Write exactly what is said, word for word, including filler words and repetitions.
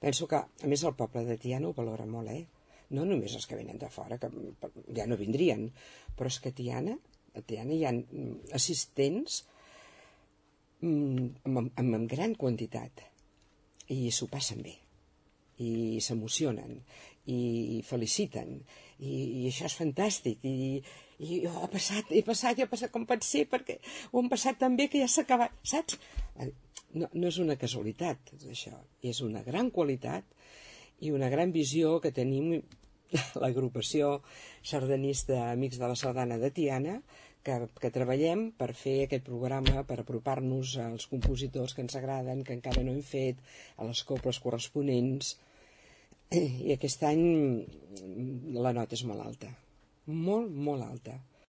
penso que, a més, el poble de Tiana ho valora molt, eh? No només els que venen de fora, que ja no vindrien, però és que a Tiana, a Tiana hi ha assistents amb, amb, amb gran quantitat i s'ho passen bé i s'emocionen i feliciten i, i això és fantàstic i, i oh, ha passat, he passat, he passat com pot ser perquè ho hem passat tan bé que ja s'ha acabat, saps? No, no és una casualitat això, és una gran qualitat i una gran visió que tenim l'agrupació sardanista Amics de la Sardana de Tiana, que, que treballem per fer aquest programa, per apropar-nos als compositors que ens agraden, que encara no hem fet, a les coples corresponents. I aquest any la nota és molt alta, molt, molt alta.